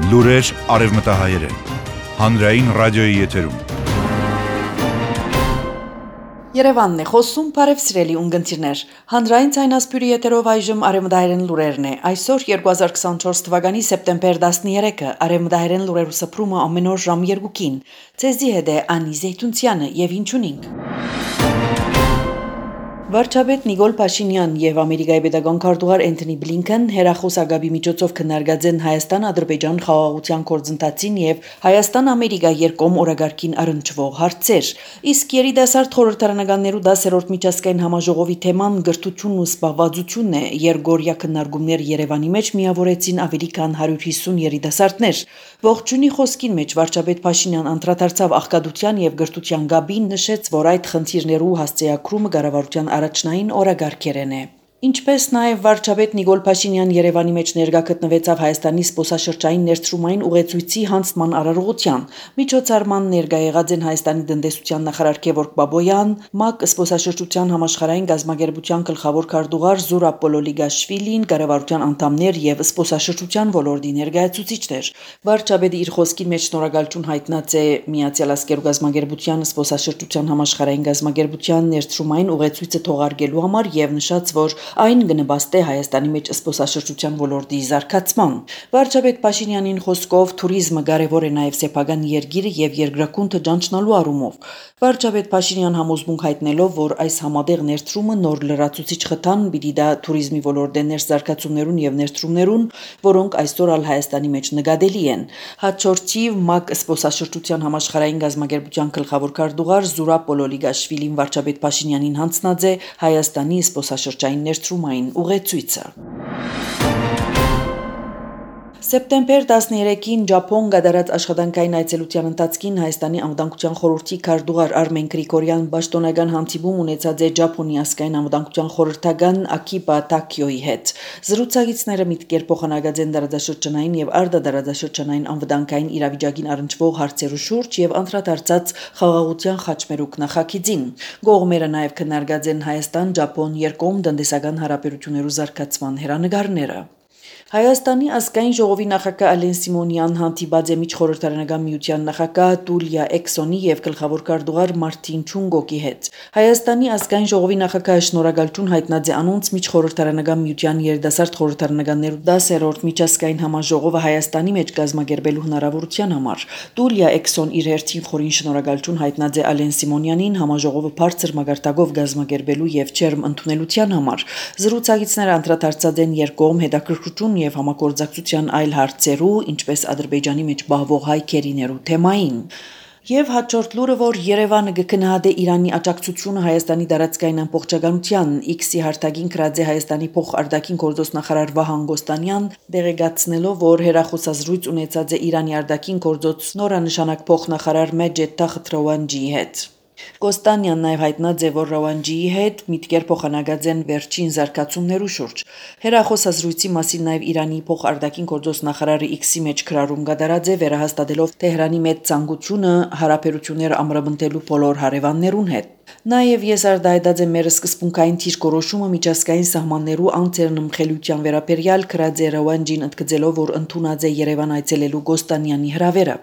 Լուրեր արևմտահայերեն, հանրային ռադիոյի եթերում։ Երևանն է խոսում, բարև սիրելի ունգընտիրներ։ Հանրային ցայնասպյուրի եթերով այժմ արևմտահայերեն լուրերն է։ Այսօր 2024 թվականի սեպտեմբեր 13-ը արևմտահայերեն լուրերու սփռումը ամեն օր ժամ 2-ին։ Ցեզի հետ է Անի Զեյթունցյանը եւ ինչուն ենք։ Վարչապետ Նիկոլ Փաշինյան եւ Ամերիկայի պետական քարտուղար Էնթոնի Բլինքեն հերախոսագաբի միջոցով քննարկած են Հայաստան-Ադրբեջան խաղաղության գործընթացին եւ Հայաստան-Ամերիկա երկկողմ օրագարկին առնչվող հարցեր։ Իսկ երիտասարդ խորհրդարանականներու 10-րդ միջազգային համաժողովի թեման գրթությունն ու զբաղվածությունն է, երկօրյա քննարկումներ Երևանի մեջ միավորեցին ավելի քան 150 երիտասարդներ։ Ողջունի խոսքին մեջ վարչապետ Փաշինյան անդրադարձավ աղքատության եւ գրթության գաբին, նշեց, որ այդ խնդիրներու հասցեակրումը կառավարության առաջնային օրագարկերեն է։ Ինչպես նաև վարչապետ Նիկոլ Փաշինյան Երևանի մեջ ներկա գտնվեցավ Հայաստանի զբոսաշրջային ներդրումային ուղեցույցի հանձնման արարողության։ Միջոցառման ներկա եղած են Հայաստանի տնտեսության նախարար Գևորգ Բաբոյան, ՄԱԿ զբոսաշրջության համաշխարհային գազագերբության գլխավոր քարտուղար Զուրաբ Պոլոլիգաշվիլին, կառավարության անդամներ եւ զբոսաշրջության ոլորտի ներկայացուցիչներ։ Վարչապետը իր խոսքի մեջ շնորհակալություն հայտնած է Միացյալ Ազգերու գազագերբության զբոսաշրջության համաշխարհային գազագերբության ներդրումային ուղեցույցը թողարկելու համար եւ նշած, որ այն կնպաստի Հայաստանի մեջ զբոսաշրջության ոլորտի զարգացման։ Վարչապետ Փաշինյանին խոսքով թուրիզմը կարևոր է նաև սեփական երգիրը եւ երկրակունթը ճանչնալու առումով։ Վարչապետ Փաշինյան համոզմունք հայտնելով, որ այս համատեղ ներդրումը նոր լրացուցիչ խթան պիտի դա թուրիզմի ոլորտի ներզարգացումներուն եւ ներդրումներուն, որոնք այսօր ալ Հայաստանի մեջ նկատելի են։ Հաջորդի ՄԱԿ զբոսաշրջության համաշխարհային գազագերբության գլխավոր քարտուղար Զուրաբ Պոլոլիգաշվիլին վարչապետ Փաշինյանին հանձնած է Հայաստանի զբոսաշրջային ներդրումային ուղեցույցը։ Սեպտեմբեր 13-ին Ճապոն կատարած աշխատանքային այցելության ընթացքին Հայաստանի անվտանգության խորհրդի քարտուղար Արմեն Գրիգորյան պաշտոնական հանդիպում ունեցած է Ճապոնի ազգային անվտանգության խորհրդական Ակիբա Տակիոյի հետ։ Զրուցակիցները միտքեր փոխանակած են դարաշրջանային եւ արտադարաշրջանային անվտանգային իրավիճակին առնչվող հարցերու շուրջ եւ անդրադարձած խաղաղության խաչմերուկ նախագիծին։ Կողմերը նաեւ քննարկած են Հայաստան-Ճապոն երկկողմ տնտեսական հարաբերություններու զարգացման հերանեկարները։ Հայաստանի ազգային ժողովի նախագահ Ալեն Սիմոնյան հանդիպած է միջխորհրդարանական միության նախագահ Տուլիա Էքսոնի եւ գլխավոր քարտուղար Մարտին Չունգոկի հետ։ Հայաստանի ազգային ժողովի նախագահը շնորհակալություն հայտնած է անոնց միջխորհրդարանական միության երիտասարդ խորհրդարանականներու 10-րդ միջազգային համաժողովը Հայաստանի մեջ կազմակերպելու հնարավորության համար։ Տուլիա Էքսոն իր հերթին խորին շնորհակալություն հայտնած է Ալեն Սիմոնյանին համաժողովը բարձր մագարտակով կազմակերպելու եւ չերմ ընդունելության համար։ Զրուցակիցները անդրադարձած են երկկողմ հետաքրքրություն եւ համագործակցության այլ հարցերու, ինչպես Ադրբեջանի մեջ բահվող հայ քերիներու թեմային։ Եվ հաջորդ լուրը, որ Երևանը կգնահատե Իրանի աջակցությունը Հայաստանի տարածքային ամբողջականության, X-ի հարթակին գրած է Հայաստանի փոխարտաքին գործոստնախարար Վահան Գոստանյան, դեղեկացնելով, որ հերախոսազրույց ունեցած է Իրանի արտաքին գործոց նորանշանակ փոխնախարար Մեջեդ Թախտրավանջիի հետ։ Գոստանյանն նաև հայտնած է, որ Ռավանջիի հետ միտքեր փոխանակած են վերջին զարգացումներու շուրջ։ Հերախոսազրույցի մասին նաև Իրանի փոխարտաքին գործոստնախարարը X-ի մեջ գրառում կատարած է, վերահաստատելով Թեհրանի մեծ ցանկությունը հարաբերությունները ամրապնդելու բոլոր հարևաններուն հետ։ Նաև եսարդայտած է մեր սկզբունքային թիրքորոշումը միջազգային սահմաններու անձեռնմխելիության վերաբերյալ գրած է Ռավանջին ընդգծելով, որ ընդունած է Երևան այցելելու Գոստանյանի հրավերը։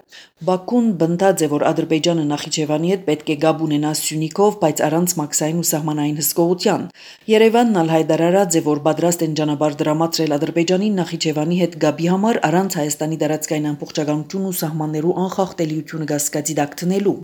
Բաքուն բնդած է, որ Ադրբեջանը Նախիջևանի հետ պետք է գաբ ունենա Սյունիքով, բայց առանց մաքսային ու սահմանային հսկողության։ Երևանն ալ հայտարարած է, որ պատրաստ են ճանապարհ դրամատրել Ադրբեջանին Նախիջևանի հետ գաբի համար առանց Հայաստանի տարածքային ամբողջականություն ու սահմաններու անխախտելիությունը գասկածի տակ դնելու։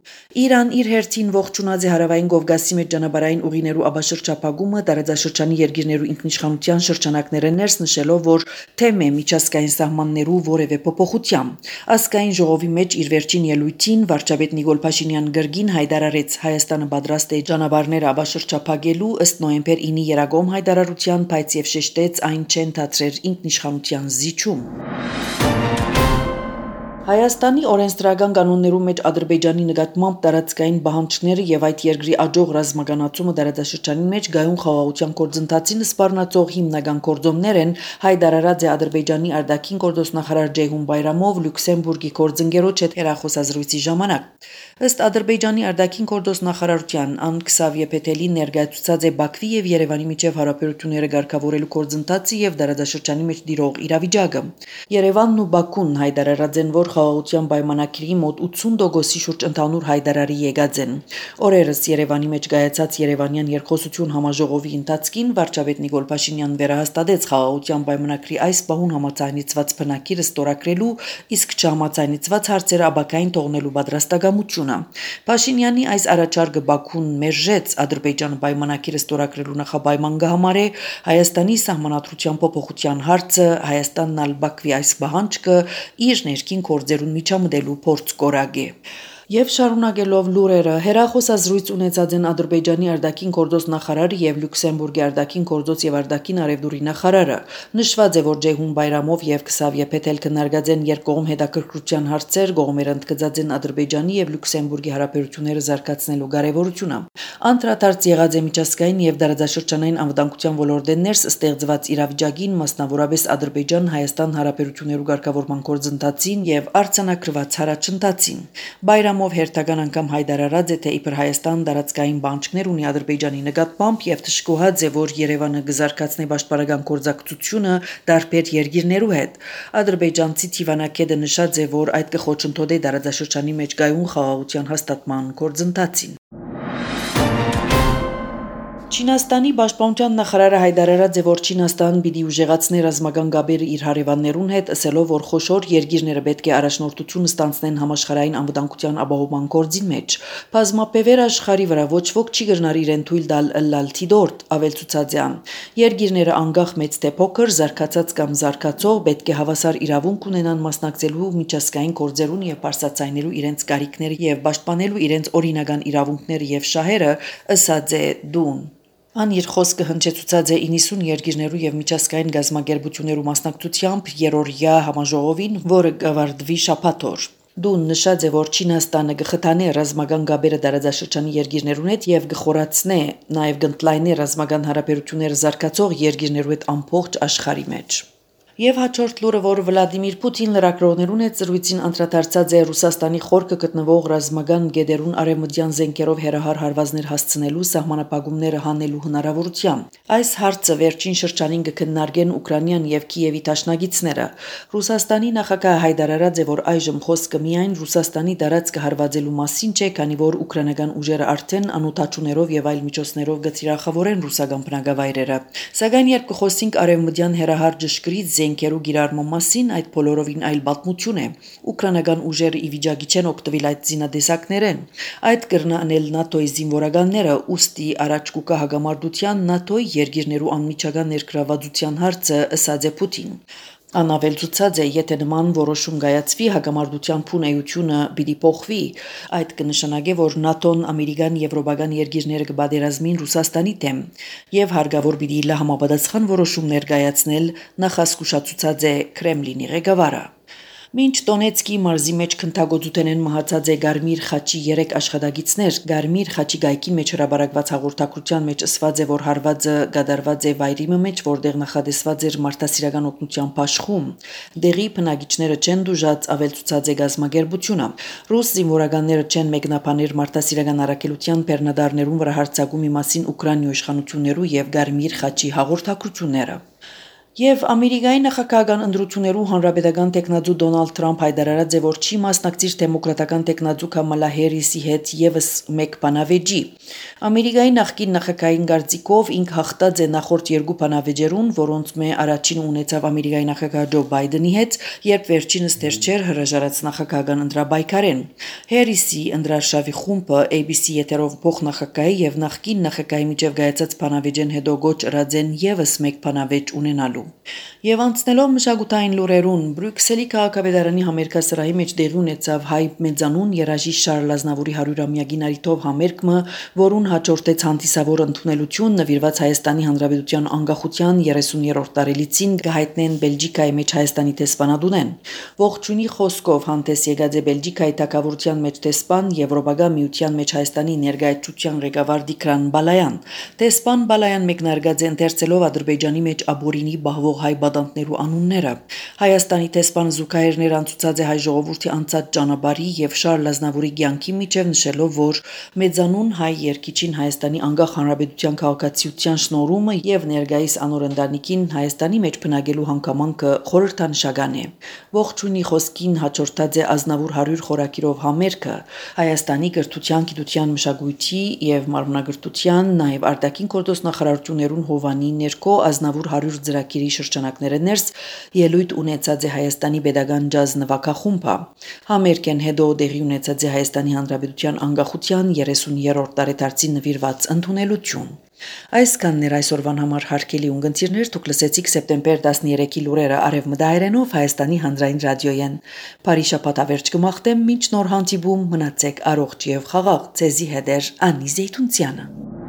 Իրան իր հերթին ողջունած է հարավային Կովկասի մեջ ճանապարհային ուղիներու աբաշրջափակումը տարածաշրջանի երկիրներու ինքնիշխանության շրջանակները ներս նշելով, որ թեմ է միջազգային սահմաններու որևէ փոփոխության։ Ազգային ժողովի մեջ իր վերջին ելույթին վարչապետ Նիկոլ Փաշինյան գրգին հայտարարեց Հայաստանը պատրաստ է ճանապարհները աբաշրջափակելու ըստ նոյեմբեր 9-ի երագոմ հայտարարության, բայց եւ շեշտեց այն չեն դադրեր ինքնիշխանության զիջում։ Հայաստանի օրենսդրական կանոններում մեջ Ադրբեջանի նկատմամբ տարածքային բանջարները եւ այդ երկրի աջող ռազմականացումը տարածաշրջանի մեջ գայուն խաղաղության գործընթացին սպառնացող հիմնական գործոններ են, հայտարարած է Ադրբեջանի արտաքին գործոստնախարար Ջեյհուն Բայրամով Լյուքսեմբուրգի գործընկերոջ հետ հեռախոսազրույցի ժամանակ։ Ըստ Ադրբեջանի արտաքին գործոստնախարարության Ան Քսավիե Փեթելի ներկայացուցած է Բաքվի եւ Երևանի միջև հարաբերությունները ղեկավարելու գործընթացը եւ տարածաշրջանի մեջ տիրող իրավիճակը։ Երևանն ու Բաքուն հայտարարած են, որ խաղաղության պայմանագրի մոտ 80%-ի շուրջ ընդհանուր հայտարարի եկած են։ Օրերս Երևանի մեջ կայացած Երևանյան երկխոսություն համաժողովի ընթացքին վարչապետ Նիկոլ Փաշինյանն վերահաստատեց խաղաղության պայմանագրի այս պահուն համաձայնեցված բնակիրը ստորագրելու, իսկ չհամաձայնեցված հարցերը աբակային թողնելու պատրաստակամությունը։ Փաշինյանի այս առաջարկը Բաքուն մերժեց Ադրբեջանը պայմանագրը ստորագրելու նախապայման կհամարե Հայաստանի սահմանադրության փոփոխության հարցը, Հայաստանն ալ Բաքվի այս պահանջը իր ներքին գործերուն միջամտելու փորձ կորագ է։ Եվ շարունակելով լուրերը, հեռախոսազրույց ունեցած են Ադրբեջանի արտաքին գործոստնախարարը եւ Լյուքսեմբուրգի արտաքին գործոց եւ արտաքին արևդուրի նախարարը։ Նշված է, որ Ջեյհուն Բայրամով եւ Քսավիե Փեթել քննարկած են երկկողմ հետաքրքրության հարցեր, կողմերը ընդգծած են Ադրբեջանի եւ Լյուքսեմբուրգի հարաբերությունները զարգացնելու կարեւորությունը։ Անդրադարձ եղած է միջազգային եւ տարածաշրջանային անվտանգության ոլորտեն ներս ստեղծված իրավիճակին, մասնավորապես Ադրբեջան-Հայաստան հարաբերություններու ղեկավարման գործընթացին եւ արձանագրված հարաճընթացին։ Բայրամով հերթական անգամ հայտարարած է, թե իբր Հայաստան տարածքային բանջարներ ունի Ադրբեջանի նկատմամբ եւ թշկուհած է, որ Երևանը կզարգացնի պաշտպանական գործակցությունը տարբեր երկիրներու հետ։ Ադրբեջանցի Թիվանակեդը նշած է, որ այդ կխոչընդոտի տարածաշրջանի մեջ գայուն խաղաղության հաստատման գործընթացին։ Չինաստանի պաշտպանության նախարարը հայտարարած է, որ Չինաստանն պիտի ուժեղացնի ռազմական գաբերը իր հարևաններուն հետ, ասելով, որ խոշոր երկիրները պետք է առաջնորդություն ստանձնեն համաշխարհային անվտանգության ապահովման գործին մեջ։ Բազմապեվեր աշխարհի վրա ոչ ոք չի գտնար իրեն թույլ տալ ըլլալ թիդորտ, ավելցուցած է ան։ Երկիրները անկախ մեծ թե փոքր, զարգացած կամ զարգացող պետք է հավասար իրավունք ունենան մասնակցելու միջազգային գործերուն եւ բարձրացնելու իրենց կարիքները եւ պաշտպանելու իրենց օրինական իրավունքները եւ շահերը, ըսած է Դուն։ Ան իր խոսքը հնչեցուցած է 90 երկիրներու եւ միջազգային գազམ་ագերբություններու մասնակցությամբ երրորդյա համաժողովին, որը կավարտվի շաբաթօր։ Դուն նշած է, որ Չինաստանը կխթանե ռազմական գաբերը տարածաշրջանի երկիրներուն հետ եւ կխորացնե, նաեւ կընդլայնի ռազմական հարաբերությունները զարգացող երկիրներու հետ ամբողջ աշխարհի մեջ։ Եվ հաջորդ լուրը, որ Վլադիմիր Պուտին լրագրողներուն հետ զրույցին անդրադարձած է Ռուսաստանի խորքը գտնվող ռազմական գետերուն արևմտյան զենքերով հերահար հարվածներ հասցնելու սահմանապահումները հանելու հնարավորությամբ։ Այս հարցը վերջին շրջանին կքննարկեն Ուկրաինան եւ Կիևի դաշնակիցները։ Ռուսաստանի նախագահը հայտարարած է, որ այժմ խոսքը միայն Ռուսաստանի տարածքը հարվածելու մասին չէ, քանի որ ուկրաինական ուժերը արդեն անօթաչուներով եւ այլ միջոցներով գծիրախավորեն ռուսական բնակավայրերը։ Սակայն երբ կխոսենք արևմտյան հերահար ճշգրիտ զենքերու գիրառման մասին, այդ բոլորովին այլ պատմություն է։ Ուկրաինական ուժերը ի վիճակի չեն օգտվել այդ զինադեսակներեն։ Այդ կրնանել ՆԱՏՕ-ի զինվորականները, ուստի առաջ կուկա հագամարտության ՆԱՏՕ-ի երկիրներու անմիջական ներգրավվածության հարցը, ըսած է Պուտին։ Անավելցուցած է, եթե նման որոշում կայացվի, հագամարտության փունեությունը պիտի փոխվի։ Այդ կնշանակե, որ ՆԱՏՕ-ն, ամերիկան, եվրոպական երկիրները կբادرազմին Ռուսաստանի դեմ եւ հարգավոր պիտի լա համապատասխան որոշումներ կայացնել, նախազգուշացուցած է Կրեմլինի ղեկավարը։ Մինչ Դոնեցկի մարզի մեջ քնթագործության են մահացած է Գարմիր խաչի 3 աշխատագիցներ, Գարմիր խաչի գայքի մեջ հրաբարակված հաղորդակցության մեջ ասված է, որ հարվածը կատարված է վայրի մեջ, որտեղ նախադեсված էր մարդասիրական օգնության աշխում։ Դեղի բնակիչները չեն դուժած, ավելցուցած է գազམ་ագերբությունը։ Ռուս զինվորականները չեն մեկնաբանել մարդասիրական առաքելության բեռնադարներուն վրա հարձակումի մասին Ուկրաինայի իշխանություններու եւ Գարմիր խաչի հաղորդակցությունները։ Եվ Ամերիկայի նախագահական ընտրություններու հանրապետական տեխնացու Դոնալդ Թրամփ հայտարարած է, որ չի մասնակցիր դեմոկրատական տեխնացու Կամալա Հերիսի հետ եւս մեկ բանավեճի։ Ամերիկայի նախկին նախագահային կարծիքով ինք հաղթած է նախորդ երկու բանավեճերուն, որոնց մե առաջինը ունեցավ Ամերիկայի նախագահ Ջո Բայդենի հետ, երբ վերջինս դեռ չէր հրաժարած նախագահական ընտրաբայքարեն։ Հերիսի ընտրարշավի խումբը ABC եթերով փոխնախագահի եւ նախկին նախագահի միջև գայացած բանավեճեն հետո գոչ ըրած են եւս մեկ բանավեճ ունենալու։ լուրերում։ Եվ անցնելով մշակութային լուրերուն, Բրյուսելի քաղաքապետարանի համերգասրահի մեջ տեղի ունեցավ հայ մեծանուն երաժիշտ Շարլ Ազնավուրի 100-ամյակին արիթով համերգը, որուն հաջորդեց հանդիսավոր ընդունելություն նվիրված Հայաստանի Հանրապետության անկախության 30-րդ տարելիցին գահիտնեն Բելգիկայի մեջ Հայաստանի տեսփանադունեն։ Ողջունի խոսքով հանդես եկած է Բելգիկայի թագավորության մեջ տեսփան Եվրոպական միության մեջ Հայաստանի ներկայացության ղեկավար Դիկրան Բալայան։ Տեսփան Բալայան մեկնարկած է ընթերցելով Ադրբեջանի մեջ աբորինի բահվող հայ բադանտներու անունները։ Հայաստանի տեսփան զուգահեռներ անցուցած է հայ ժողովրդի անցած ճանապարհի եւ Շարլ Ազնավուրի կյանքի միջև նշելով, որ մեծանուն հայ երկիչին Հայաստանի անկախ հանրապետության քաղաքացիության շնորհումը եւ ներկայիս անոր ընտանիքին Հայաստանի մեջ բնակելու հանգամանքը խորհրդանշական է։ Ողջունի խոսքին հաջորդած է Ազնավուր 100 խորակիրով համերգը Հայաստանի կրթության, գիտության, մշակույթի եւ մարմնագրթության, նաեւ արտաքին գործոս նախարարություններուն հովանի ներքո Ազնավուր 100 ծրագիրի շրջանակները ներս ելույթ ունեցած է Հայաստանի pedagogan ջազ նվագախումբը։ Համերգեն հետո տեղի ունեցած է Հայաստանի Հանրապետության անկախության 30-րդ տարեդարձին նվիրված ընդունելություն։ Այսքանն այսօրվան համար հարգելի ունգընտիրներ, դուք լսեցիք սեպտեմբեր 13-ի լուրերը արևմտահայերենով Հայաստանի հանրային ռադիոյեն։ Բարի շաբաթ ավերջ կմաղթեմ, մինչ նոր հանդիպում մնացեք առողջ եւ խաղաղ, ցեզի հետ Անի Զեյթունցյանը։